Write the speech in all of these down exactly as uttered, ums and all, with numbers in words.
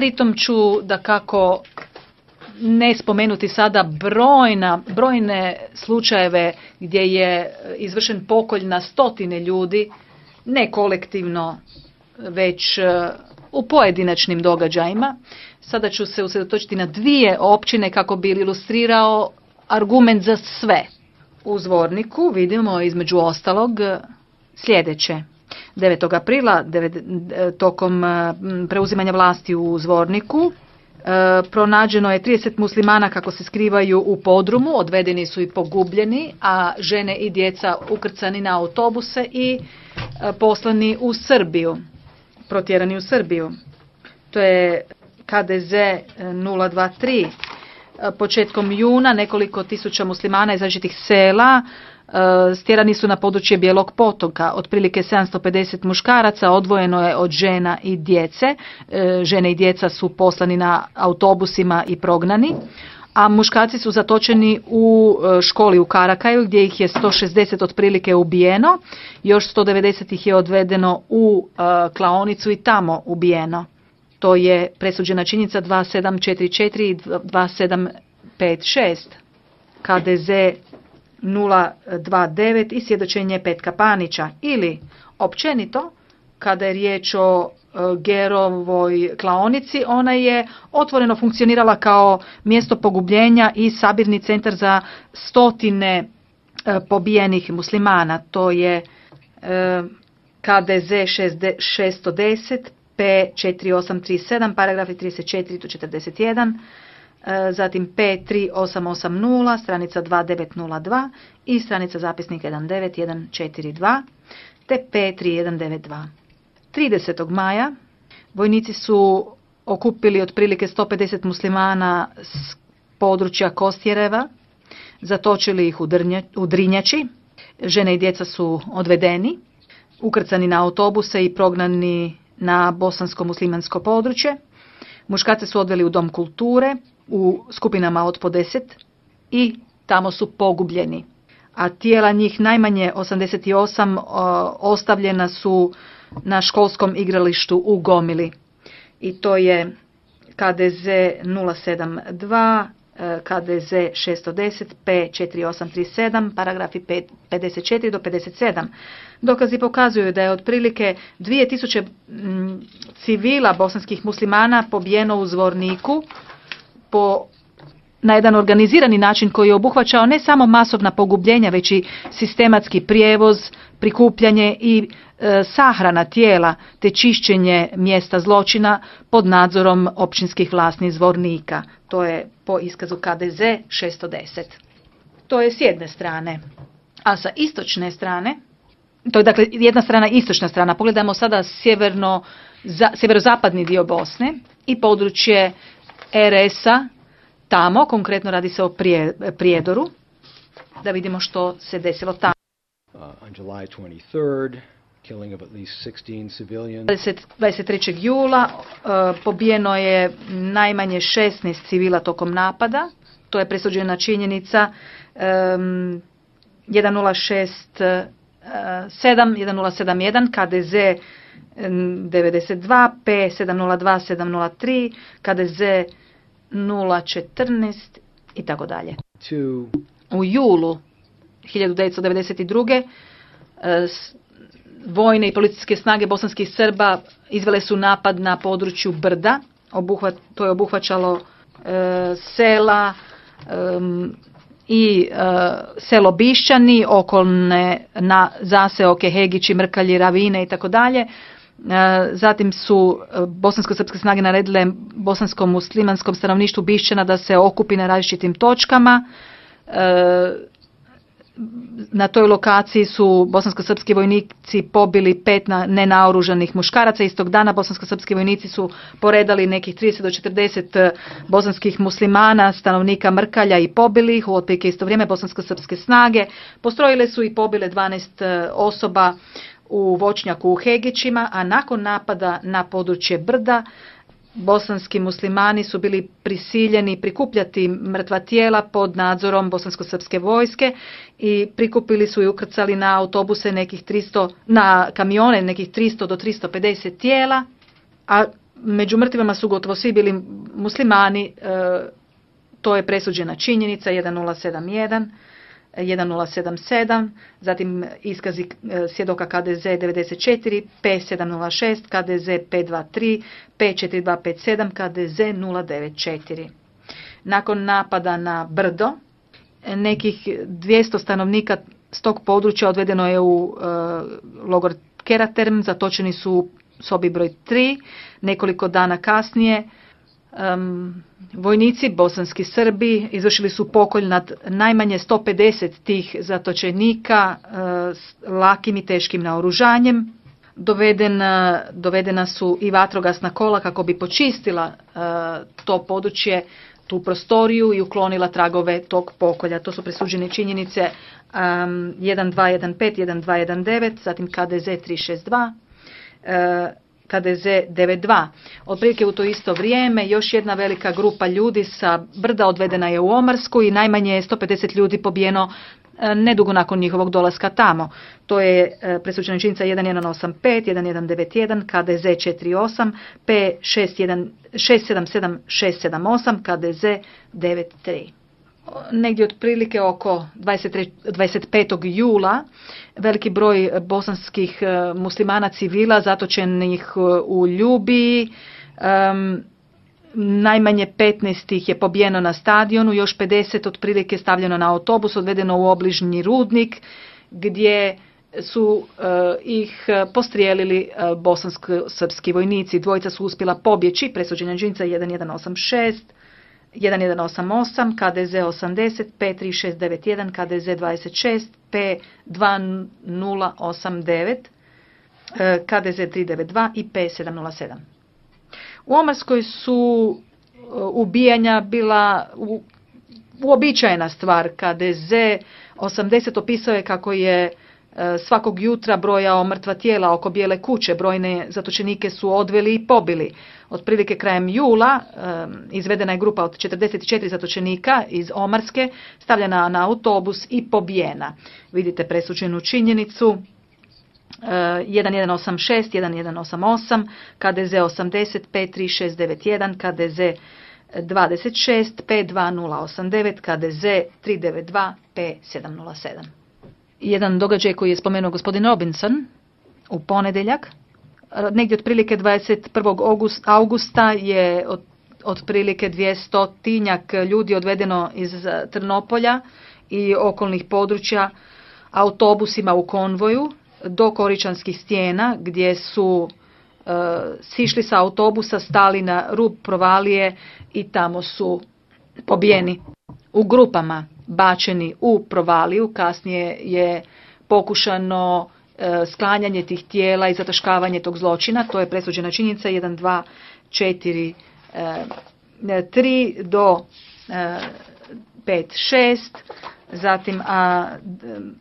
Pritom ću da kako ne spomenuti sada brojna, brojne slučajeve gdje je izvršen pokolj na stotine ljudi, ne kolektivno, već u pojedinačnim događajima. Sada ću se usredotočiti na dvije općine kako bi ilustrirao argument za sve. U Zvorniku vidimo između ostalog sljedeće. devetog aprila tokom preuzimanja vlasti u Zvorniku pronađeno je trideset muslimana kako se skrivaju u podrumu, odvedeni su i pogubljeni, a žene i djeca ukrcani na autobuse i poslani u Srbiju, protjerani u Srbiju. To je K D Z nula dva tri. Početkom juna nekoliko tisuća muslimana iz različitih sela stjerani su na područje Bijelog potoka. Otprilike sedamsto pedeset muškaraca odvojeno je od žena i djece. Žene i djeca su poslani na autobusima i prognani, a muškarci su zatočeni u školi u Karakaju gdje ih je sto šezdeset otprilike ubijeno. Još sto devedeset ih je odvedeno u klaonicu i tamo ubijeno. To je presuđena činjenica dva sedam četiri četiri i dva sedam pet šest. K D Z nula dva devet i svjedočenje Petka Panića. Ili, općenito, kada je riječ o Gerovoj klaonici, ona je otvoreno funkcionirala kao mjesto pogubljenja i sabirni centar za stotine pobijenih muslimana. To je K D Z šesto deset, P četiri osam tri sedam, paragrafi trideset četiri do četrdeset jedan, zatim P tri osam osam nula, stranica dva devet nula dva i stranica zapisnika jedan devet jedan četiri dva, te P tri jedan devet dva. tridesetog maja vojnici su okupili otprilike sto pedeset muslimana s područja Kostjereva, zatočili ih u, drnja, u Drinjači, žene i djeca su odvedeni, ukrcani na autobuse i prognani na bosansko-muslimansko područje. Muškarce su odveli u dom kulture u skupinama od po deset i tamo su pogubljeni. A tijela njih najmanje osamdeset osam o, ostavljena su na školskom igralištu u Gomili. I to je K D Z nula sedam dva, K D Z šesto deset, P četiri osam tri sedam, paragrafi pedeset četiri do pedeset sedam. Dokazi pokazuju da je otprilike dvije tisuće civila bosanskih muslimana pobijeno u Zvorniku po, na jedan organizirani način koji je obuhvaćao ne samo masovna pogubljenja, već i sistematski prijevoz, prikupljanje i e, sahrana tijela te čišćenje mjesta zločina pod nadzorom općinskih vlasti Zvornika. To je po iskazu K D Z šesto deset. To je s jedne strane. A sa istočne strane, to je dakle jedna strana, istočna strana, pogledamo sada sjeverno, za, sjeverozapadni dio Bosne i područje R S-a tamo, konkretno radi se o prije, Prijedoru, da vidimo što se desilo tamo. Uh, on July twenty-third, killing of at least sixteen civilians. dvadeset trećeg jula uh, pobijeno je najmanje šesnaest civila tokom napada. To je presuđena činjenica um, jedan nula šest sedam jedan nula sedam jedan, K D Z devedeset dva, P sedam nula dva sedam nula tri, K D Z nula četrnaest i tako dalje. U julu hiljadu devetsto devedeset druge. vojne i policijske snage bosanskih Srba izvele su napad na području Brda. Obuhvat, to je obuhvaćalo e, sela e, i e, selo Bišćani, okolne na zaseoke Hegići, Mrkalji, Ravine i tako dalje. Zatim su bosansko-srpske snage naredile bosanskom muslimanskom stanovništvu Bišćana da se okupi na različitim točkama. Na toj lokaciji su bosansko-srpski vojnici pobili pet nenaoružanih muškaraca. Istog dana bosansko-srpski vojnici su poredali nekih trideset do četrdeset bosanskih muslimana, stanovnika Mrkalja, i pobili ih. U otprilike isto vrijeme bosansko-srpske snage postrojile su i pobile dvanaest osoba u voćnjaku u Hegićima, a nakon napada na područje Brda bosanski muslimani su bili prisiljeni prikupljati mrtva tijela pod nadzorom bosansko-srpske vojske i prikupili su i ukrcali na autobuse nekih tristo, na kamione nekih tristo do tristo pedeset tijela, a Među mrtvima su gotovo svi bili muslimani, to je presuđena činjenica jedan nula sedam jedan, jedan nula sedam sedam, zatim iskazi svjedoka K D Z devedeset četiri, P sedam nula šest, K D Z pet dva tri, P četiri dva pet sedam, K D Z nula devet četiri. Nakon napada na Brdo, nekih dvjesto stanovnika s tog područja odvedeno je u uh, logor Keraterm, zatočeni su u sobi broj tri. Nekoliko dana kasnije um, vojnici, bosanski Srbi, izvršili su pokolj nad najmanje sto pedeset tih zatočenika uh, s lakim i teškim naoružanjem. Dovedena, dovedena su i vatrogasna kola kako bi počistila uh, to područje, tu prostoriju i uklonila tragove tog pokolja. To su presuđene činjenice um, jedan dva jedan pet, jedan dva jedan devet, zatim K D Z tri šest dva, uh, K D Z devet dva. Otprilike u to isto vrijeme još jedna velika grupa ljudi sa Brda odvedena je u Omarsku i najmanje sto pedeset ljudi pobijeno uh, nedugo nakon njihovog dolaska tamo. To je uh, presuđena činjenica jedan jedan osam pet, jedan jedan devet jedan, K D Z četiri osam, P šest jedan šest sedam sedam šest sedam osam, K D Z devet tri. Negdje otprilike oko dvadeset petog jula veliki broj bosanskih muslimana civila zatočenih u Ljubiji, um, najmanje petnaest ih je pobijeno na stadionu, još pedeset otprilike stavljeno na autobus, odvedeno u obližnji rudnik gdje su uh, ih postrijelili uh, bosansko-srpski vojnici. Dvojica su uspjela pobjeći, presuđena činjenica jedan jedan osam šest, jedan jedan osam osam, K D Z osamdeset, P tri šest devet jedan, K D Z dvadeset šest, P dva nula osam devet, K D Z tri devet dva i P sedam nula sedam. U Omarskoj su ubijanja bila u, uobičajena stvar. K D Z osamdeset opisao je kako je svakog jutra brojao mrtva tijela oko Bijele kuće, brojne zatočenike su odveli i pobili. Otprilike krajem jula izvedena je grupa od četrdeset četiri zatočenika iz Omarske, stavljena na autobus i pobijena. Vidite presuđenu činjenicu jedan jedan osam šest, jedan jedan osam osam, K D Z osamdeset, P tri šest devet jedan, K D Z dvadeset šest, P dva nula osam devet, K D Z tri devet dva, P sedam nula sedam. Jedan događaj koji je spomenuo gospodin Robinson u ponedjeljak, negdje otprilike dvadeset prvog augusta je od, otprilike dvjestotinjak ljudi odvedeno iz Trnopolja i okolnih područja autobusima u konvoju do Koričanskih stijena gdje su uh, sišli sa autobusa, stali na rub provalije i tamo su pobijeni u grupama, bačeni u provaliju. Kasnije je pokušano e, sklanjanje tih tijela i zataškavanje tog zločina. To je presuđena činjenica jedan dva četiri tri do e, pet šest, zatim a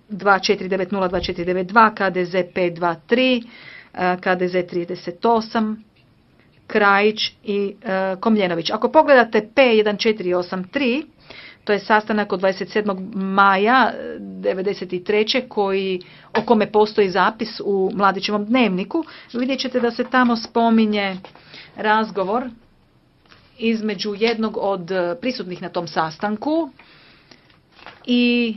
dva četiri devet nula dva četiri devet dva, K D Z pet dva tri, e, K D Z trideset osam, Krajić i e, Komljenović. Ako pogledate P jedan četiri osam tri, to je sastanak od dvadeset sedmog maja devedeset treće koji, o kome postoji zapis u Mladićevom dnevniku. Vidjet ćete da se tamo spominje razgovor između jednog od prisutnih na tom sastanku i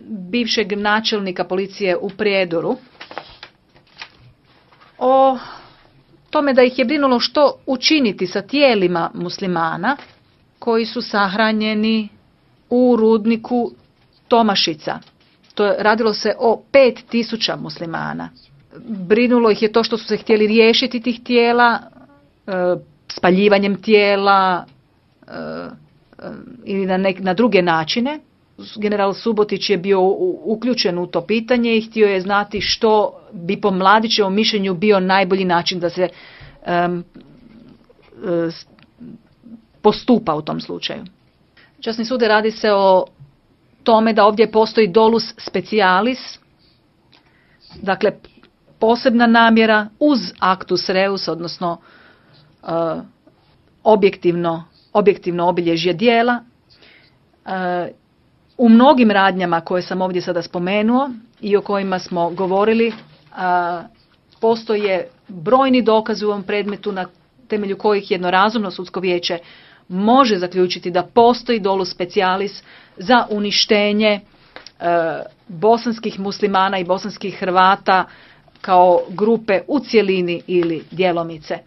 bivšeg načelnika policije u Prijedoru o tome da ih je brinulo što učiniti sa tijelima muslimana koji su sahranjeni u rudniku Tomašica. To je, radilo se o pet tisuća muslimana. Brinulo ih je to što su se htjeli riješiti tih tijela, e, spaljivanjem tijela e, e, ili na, nek, na druge načine. General Subotić je bio u, uključen u to pitanje i htio je znati što bi po Mladićevom mišljenju bio najbolji način da se e, e, postupa u tom slučaju. Časni sude, radi se o tome da ovdje postoji dolus specialis, dakle posebna namjera uz actus reus, odnosno uh, objektivno, objektivno obilježje djela. Uh, u mnogim radnjama koje sam ovdje sada spomenuo i o kojima smo govorili, uh, postoje brojni dokazi u ovom predmetu na temelju kojih jedno razumno sudsko vijeće može zaključiti da postoji dolus specialis za uništenje e, bosanskih muslimana i bosanskih Hrvata kao grupe u cjelini ili djelomice.